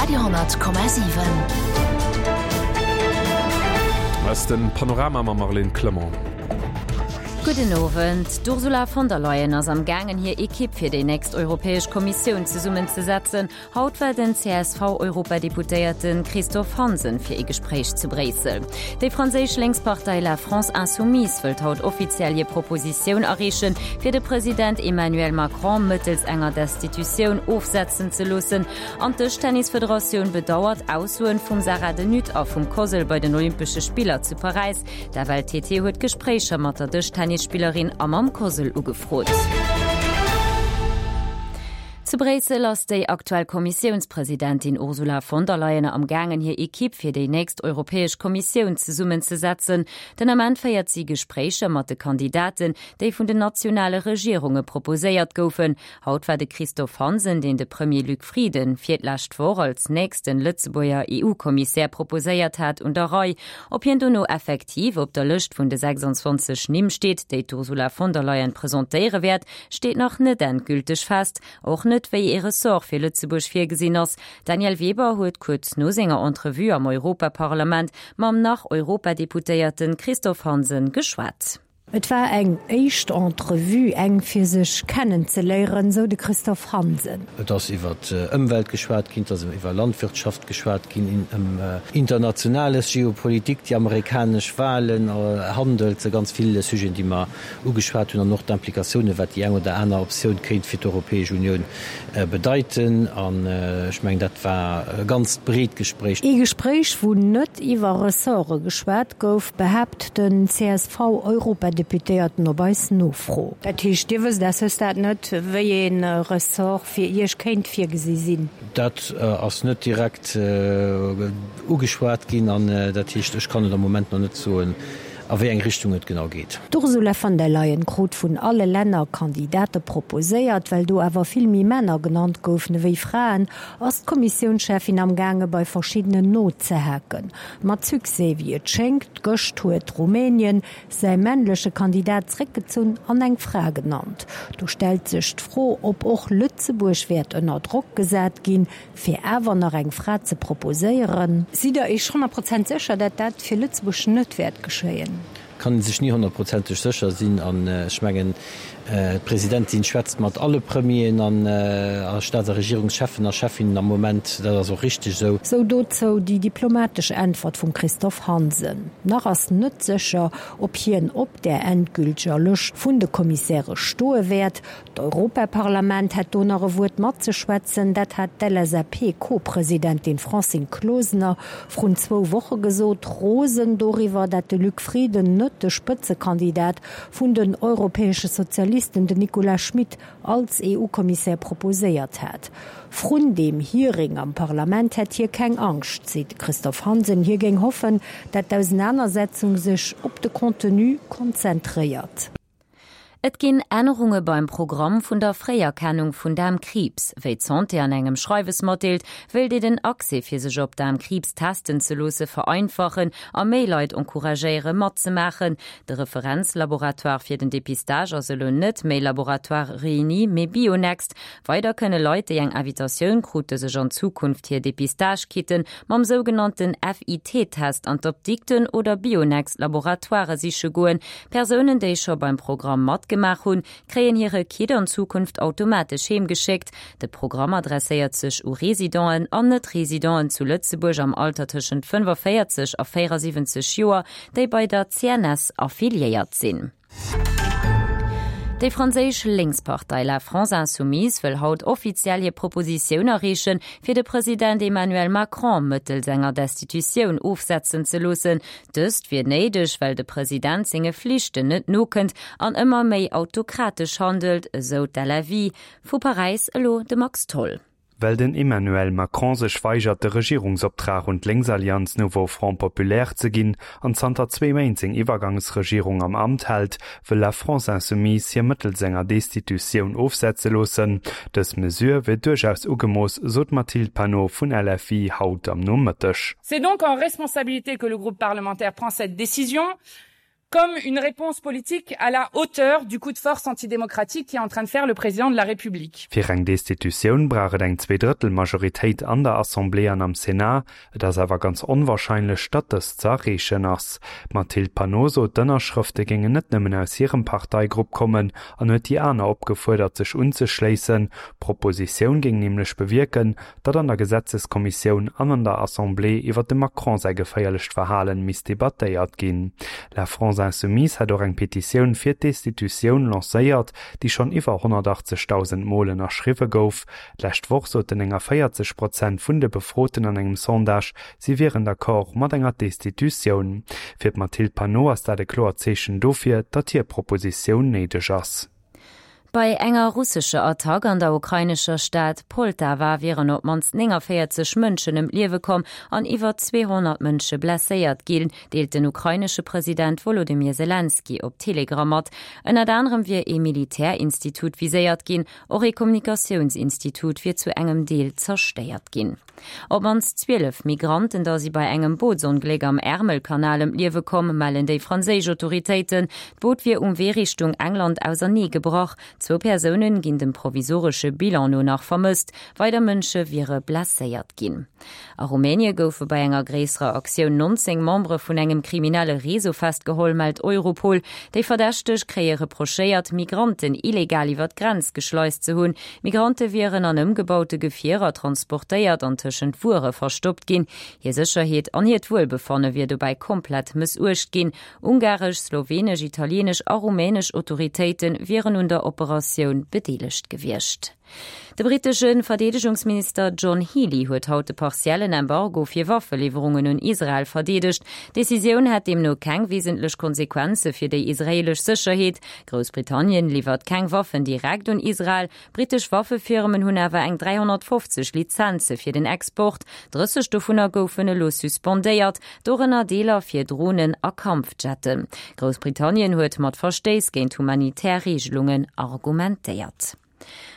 Radio 10,7. Ass den Panorama mam Marlene Clement. Gudden Owend. D'Ursula von der Leyen ass am gaangen hir Ekipp fir déi nächst Europäesch Kommissioun zesummenzesetzen. Haut war den CSV-Europadeputéierte Christophe Hansen fir ee Gespréich zu Bréissel. Déi franséisch Lénkspartei La France Insoumise wëllt haut offiziell hir Propositioun areechen, fir de President Emmanuel Macron mëttels enger Destitutioun ofsetzen ze loossen. An d'Dëschtennisfederatioun bedauert Aussoen vum Sarah De Nutte a vum Cosl bei den Olympesche Spiller zu Paräis. D'FLTT huet Gespréicher mat der Dëschtennisspillerin a mam Cosl ugefrot. Zu Bréissel ass déi aktuell Kommissiounspresidentin Ursula von der Leyen am gaangen hir Ekipp fir déi nächst Europäesch Kommissioun zesummenzesetzen. Den Ament féiert si Gespréicher mat de Kandidaten, déi vun den nationale Regierunge proposéiert goufen. Haut war de Christophe Hansen, deen de Premier Luc Frieden fir d'lescht Woch als nächsten Lëtzebuerger EU-Kommissär proposéiert hat, un der Rei. Ob hien dono effektiv op der Lëscht vun de 26 Nimm steet, déi d'Ursula von der Leyen presentéiere wäert, steet nach net endgülteg fest, och net wéi ee Ressort fir Lëtzebuerg virgesinn ass. D'Danièle Weber huet kuerz no senger Entrevue am Europaparlament mam nach-Europadeputéierte Christophe Hansen geschwat. Et war eng éischt Entrevue, eng fir sech kennenzeléieren, sou de Christophe Hansen. Et ass iwwer Ëmwelt geschwat ginn, et ass iwwer Landwirtschaft geschwat ginn, ëm Internationales, Geopolitik, déi amerikanesch Wahlen, Handel, et si ganz vill Sujeten, déi mer ugeschwat hunn an och d'Implikatiounen, wat déi eng oder aner Optioun kéint fir d'Europäesch Unioun bedeiten. An ech mengen, dat war e ganzt breet Gespréich. Ee Gespréich, wou net iwwer Ressorte geschwat gouf, behaapt den CSV-Europadeputéierten op eis Nofro. Dat heescht, Dir wësst à ce stade net, wéi ee Ressort fir Iech kéint virgesi sinn? Dat ass net direkt ugeschwat ginn an dat heescht, ech kann et am Moment nach net soen. a wéi eng Richtung et genau geet. D'Ursula von der Leyen krut vun alle Länner Kandidate proposéiert. Well do awer vill méi Männer genannt goufen ewéi Fraen, ass d'Kommissiounscheffin am gaange bei verschiddenen nozehaken. Mat Succès, wéi et schéngt. Gëscht huet Rumänien säi männleche Kandidat zréckgezunn an eng Fra genannt. Do stellt sech d'Fro, ob och Lëtzebuerg wäert ënner Drock gesat ginn, Fir awer nach eng Fra ze proposéieren. Sidd Der Iech 100 Prozent sécher, dat dat fir Lëtzebuerg net wäert geschéien? Kann ee sech ni honnertprozenteg sécher sinn. An ech mengen, d'Presidentin schwätzt mat alle Premieren an a Staats a Regierungscheffen a Cheffinnen am Moment. Dat ass och richteg esou. Sou dozou déi diplomatesch Äntwert vum Christophe Hansen. Nach ass net sécher, ob hien op där endgülteger Lëscht vun de Kommissäre stoe wäert. D'Europaparlament hätt do nach e Wuert matzeschwätzen, dat hat d'LSAP-Co-Presidentin Francine Closener vrun zwou Woche gesot, rosen doriwwer, dat de Luc Frieden net de Spëtzekandidat vun den europäesche Sozialisten, den Nicolas Schmit, als EU-Kommissär proposéiert hat. Vrun deem Hearing am Parlament hätt hie keng Angscht, seet de Christophe Hansen. Hie géing hoffen, dat d'Ausenanersetzung sech op de Contenu konzentréiert. Et ginn Ännerunge beim Programm vun der Fréierkennung vun Daarmkriibs. Wéi d'Santé an engem Schreiwes matdeelt, wéilt ee den Accès fir sech op Daarmkriibs testen ze loosse vereinfachen a méi Leit encouragéiere matzemaachen. De Referenzlaboratoire fir den Depistage ass elo net méi Laboratoire Réuni, mee Bionext. Weider kënne Leit, déi eng Invitatioun krute, sech an Zukunft hir Depistage-Kitten mam sougenannten FIT-Test an d'Apdikten oder Bionext-Laboratoirë siche goen. Persounen, déi scho beim Programm matgemaach hunn, kréien hire Kit an Zukunft automatesch heem geschéckt. De Programm adresséiert sech u Residenten an Net-Residenten zu Lëtzebuerg am Alter tëschent 45 a 74 Joer, déi bei der CNS affiliéiert sinn. Déi franséisch Lénkspartei La France Insoumise wëll haut offiziell hir Propositioun areechen, fir de President Emmanuel Macron mëttels enger Destitutioun ofsetzen ze loossen. Dëst wier néideg, well de President senge Flichten net nokënnt an ëmmer méi autokratesch handelt, esou d'LFI. Vu Paräis elo de Max Tholl. Well den Emmanuel Macron sech weigert de Regierungsoptrag un d'Lénksallianz Nouveau Front Populaire ze ginn an zanter zwee Méint seng Iwwergangsregierung am Amt hält, wëll La France Insoumise hie mëttels enger Destitutioun ofsetze loossen. Dës Mesure wier duerchaus ugemooss, sot d'Mathilde Panot vun LFI haut am Nomëtteg. C'est donc en responsabilité que le groupe parlementaire prend cette décision. Comme une réponse politique à la hauteur du coup de force antidémocratique qui est en train de faire le président de la République. Fir eng Destitutioun brauch et eng Zweedrëttelmajoritéit an der Assemblée an am Sénat. Et ass awer ganz onwarscheinlech, datt dëst ze erreechen ass. D'Mathilde Panot sot, d'Ënnerschrëfte géingen net nëmmen aus hirem Parteigrupp kommen an huet déi aner opgefuerdert, sech unzeschléissen. D'Propositioun géing nämlech bewierken, datt an der Gesetzeskommissioun an an der Assemblée iwwer dem Macron säi geféierlecht Verhalen misst debattéiert ginn. La France Insoumise hätt och eng Petitioun fir d'Destitutioun lancéiert, déi schonn iwwer 180.000 Mol ënnerschriwwe gouf. D'lescht Woch soten 49 Prozent vun de Befroten an engem Sondage, si wieren d'accord mat enger Destitutioun. Fir d'Mathilde Panot ass dat e kloert Zeechen dofir, datt hir Propositioun néideg ass. Bei enger russescher Attack an der ukrainescher Stad Poltawa wieren op d'mannst 49 Mënschen ëm d'Liewe komm an iwwer 200 Mënsche blesséiert ginn, deelt den ukrainesche President Wolodymyr Selenskyj op Telegram mat. Ënnert anerem wier ee Militärinstitut viséiert ginn, och ee Kommunikatiounsinstitut wier zu engem Deel zerstéiert ginn. Op d'mannst 12 Migranten da si bei engem Bootsongléck am Ärmelkanal ëm d'Liewe komm, mellen déi franséisch Autoritéiten. D'Boot wier um Wee Richtung England ausernee gebrach. Zwou Persounen ginn dem provisoresche Bilan no nach vermësst. Weider Mënsche wiere blesséiert ginn. A Rumänie goufe bei enger gréisserer Aktioun 19 Membere vun engem kriminelle Réseau festgeholl, mellt Europol. Déi Verdächteg kréie reprochéiert, Migranten illegal iwwer d'Grenz geschleist ze hunn. Migrante wieren an ëmgebaute Gefierer transportéiert an tëschent Wuere verstoppt ginn. Hir Sécherheet an hiert Wuelbefanne wier dobäi komplett mëssuecht ginn. Ungaresch, slowenesch, italieenesch a rumänesch Autoritéite wieren un der Operatioun bedeelegt gewiescht. De brittesche Verdeedegungsminister John Healey huet haut de partiellen Embargo fir Waffeliwwerungen un Israel verdeedegt. D'Decisioun hätt deemno keng wesentlech Konsequenze fir déi israeelesch Sécherheet. Groussbritannien liwwert keng Waffen direkt un Israel. Brittesch Waffefirmen hunn awer eng 350 Lizenze fir den Export. 30 dovunner goufen elo suspendéiert, dorënner Deeler fir Dronen a Kampfjetten. Groussbritannien huet mat Verstéiss géint humanitär Reegelungen argumentéiert.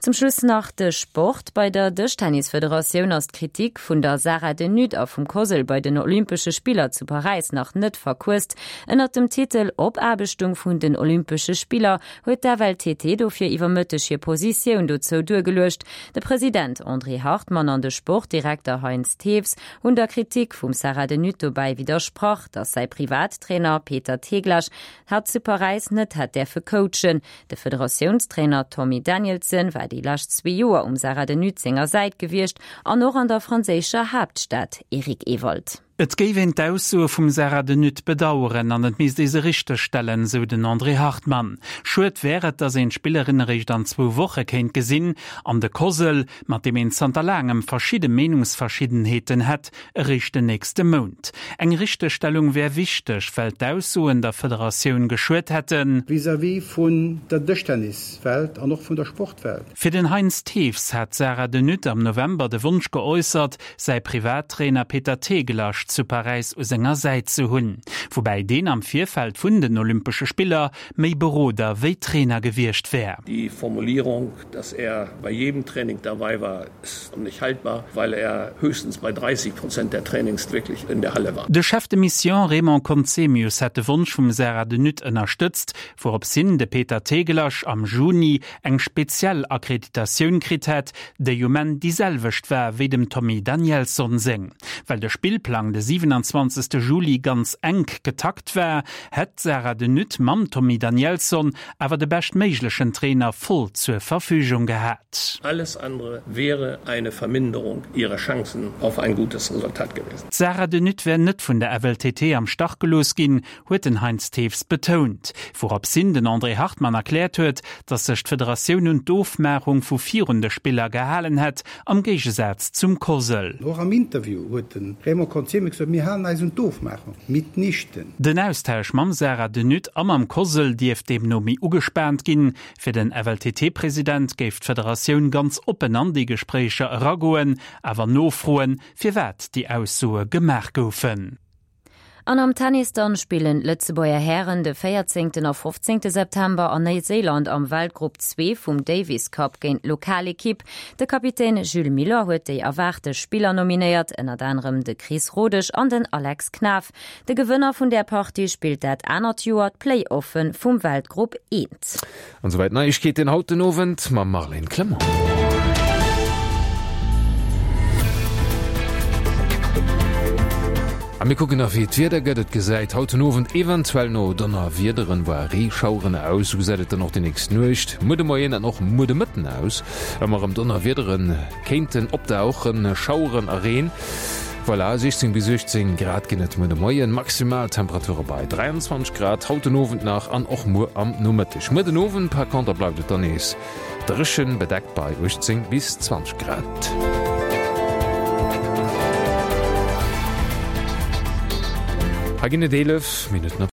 Zum Schluss nach de Sport. Bei der Dëschtennisfederatioun ass d'Kritik vun der Sarah De Nutte a vum Cosl bei den Olympesche Spiller zu Paräis nach net verquësst. Ënnert dem Titel Opaarbechtung vun den Olympesche Spiller huet d'FLTT dofir iwwer Mëtteg hir Positioun dozou duergeluecht. De President André Hartmann an de Sportdirekter Heinz Thews hunn der Kritik vum Sarah De Nutte dobäi widdersprach, datt säi Privattrainer Peter Teglasch hatt zu Paräis net hätt däerfe coachen. De Federatiounstrainer Tommy Danielson war déi lescht zwee Joer um Sarah De Nutte senger Säit gewiescht an och an der franséischer Haaptstad, Eric Ewald. Et géif een d'Aussoe vum Sarah De Nutte bedaueren an et misst ee se richtegstellen, sou den André Hartmann. Schued wär et, datt een d'Spillerin eréischt an zwou Woche kéint gesinn an de Cosl, mat deem een zanter laangem verschidde Meenungsverschiddenheeten hätt, eréischt den nächste Mount. Eng Richtegstellung wär wichteg, well d'Aussoen der Federatioun geschuet hätten. Vis-à-vis vun der Dëschtenniswelt an och vun der Sportwelt. Fir den Heinz Thews hat d'Sarah De Nutte am November de Wonsch geäussert, säi Privattrainer Peter Tegelasch zu Paräis u senger Säit ze hunn. Woubäi deen am Virfeld vun den Olympesche Spiller méi Beroder wéi Trainer gewiescht wär. Die Formulierung, dass er bei jedem Training dabei war, ist nicht haltbar, weil er höchstens bei 30 Prozent der Trainings wirklich in der Halle war. De Chef de Mission Raymond Conzemius hätt de Wonsch vum Sarah De Nutte ënnerstëtzt, wourops hin de Peter Tegelasch am Juni eng speziell Akkreditatioun kritt hätt, déi um Enn déi selwecht war wéi dem Tommy Danielsson seng. Well de Spillplang de 27. Juli ganz enk getakt war, hätt d'Sarah De Nutte mam Tommy Danielsson awer de beschtméiglechen Trainer voll zur Verfügung gehat. Alles andere wäre eine Verminderung ihrer Chancen auf ein gutes Resultat gewesen. D'Sarah De Nutte wär net vun der FLTT am Stach gelooss ginn, huet den Heinz Thews betount. Wouropshin den André Hartmann erkläert huet, datt sech d'Federatioun un d'Ofmaachung vu virun de Spiller gehalen hätt, am Géigesaz zum COSL. Och am Interview huet de Raymond Conzemi gesot, Mir halen eis un d'Ofmaachung. Mitnichten. Den Austausch mam Sarah De Nutte a mam COSL dierft deemno méi ugespaant ginn. Fir den FLTT-President géif d'Federatioun ganz oppen an déi Gespréicher eragoen, awer nofroen, firwat déi Aussoe gemaach goufen. An am Tennis dann spillen d'Lëtzebuerger Hären de 14 a 15 September an Néiséiland am Weltgrupp 2 vum Davis Cup géint d'Lokalekipp. De Kapitän Jules Muller huet déi erwaarte Spiller nominéiert, ënnert anerem de Chris Rodesch an den Alex Knaff. De Gewënner vun där Partie spillt dat anert Joer d'Play-Offen vum Weltgrupp 1. An souwäit d'Neiegkeeten haut den Owend mam Marlène Clement. A mir kucken nach wéi d'Wieder gëtt. Et gesäit haut den Owend eventuell no Donnerwiederen, voire Reeschaueren aus. Sou gesäit et dann och déi nächst Nuecht, muer de Moien an och muer de Mëtten aus. Ëmmer erëm Donnerwiedere kéinten opdauchen, Schaueren a Reen. Voilà, 16 bis 18 Grad ginn et muer de Moien, Maximaltemperature bei 23 Grad haut den Owend nach an och muer am Nomëtteg. Muer den Owend par conter bleift et dann nees dréchen, bedeckt bei 18 bis 20 Grad. Hei ginn et 11 Minutten op.